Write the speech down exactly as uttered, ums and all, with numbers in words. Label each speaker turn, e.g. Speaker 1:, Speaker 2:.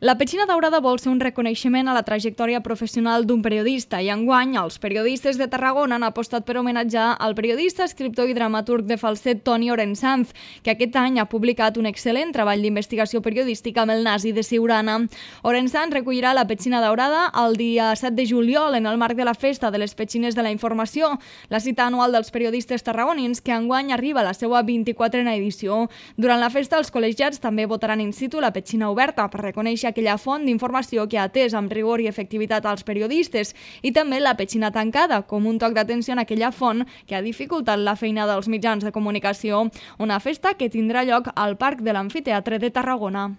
Speaker 1: La Petxina Daurada vol ser un reconeixement a la trajectòria professional d'un periodista i enguany els periodistes de Tarragona han apostat per homenatjar el periodista, escriptor i dramaturg de falset Toni Orensanz, que aquest any ha publicat un excel·lent treball d'investigació periodística amb el nazi de Siurana. Orensanz recollirà la Petxina Daurada el dia set de juliol en el marc de la Festa de les Petxines de la Informació, la cita anual dels periodistes tarragonins que enguany arriba a la seva vint-i-quatrena edició. Durant la festa, els col·legiats també votaran in situ la Petxina Oberta per reconèixer aquella font d'informació que ha atès amb rigor i efectivitat als periodistes i també la Petxina Tancada, com un toc d'atenció en aquella font que ha dificultat la feina dels mitjans de comunicació. Una festa que tindrà lloc al Parc de l'Amfiteatre de Tarragona.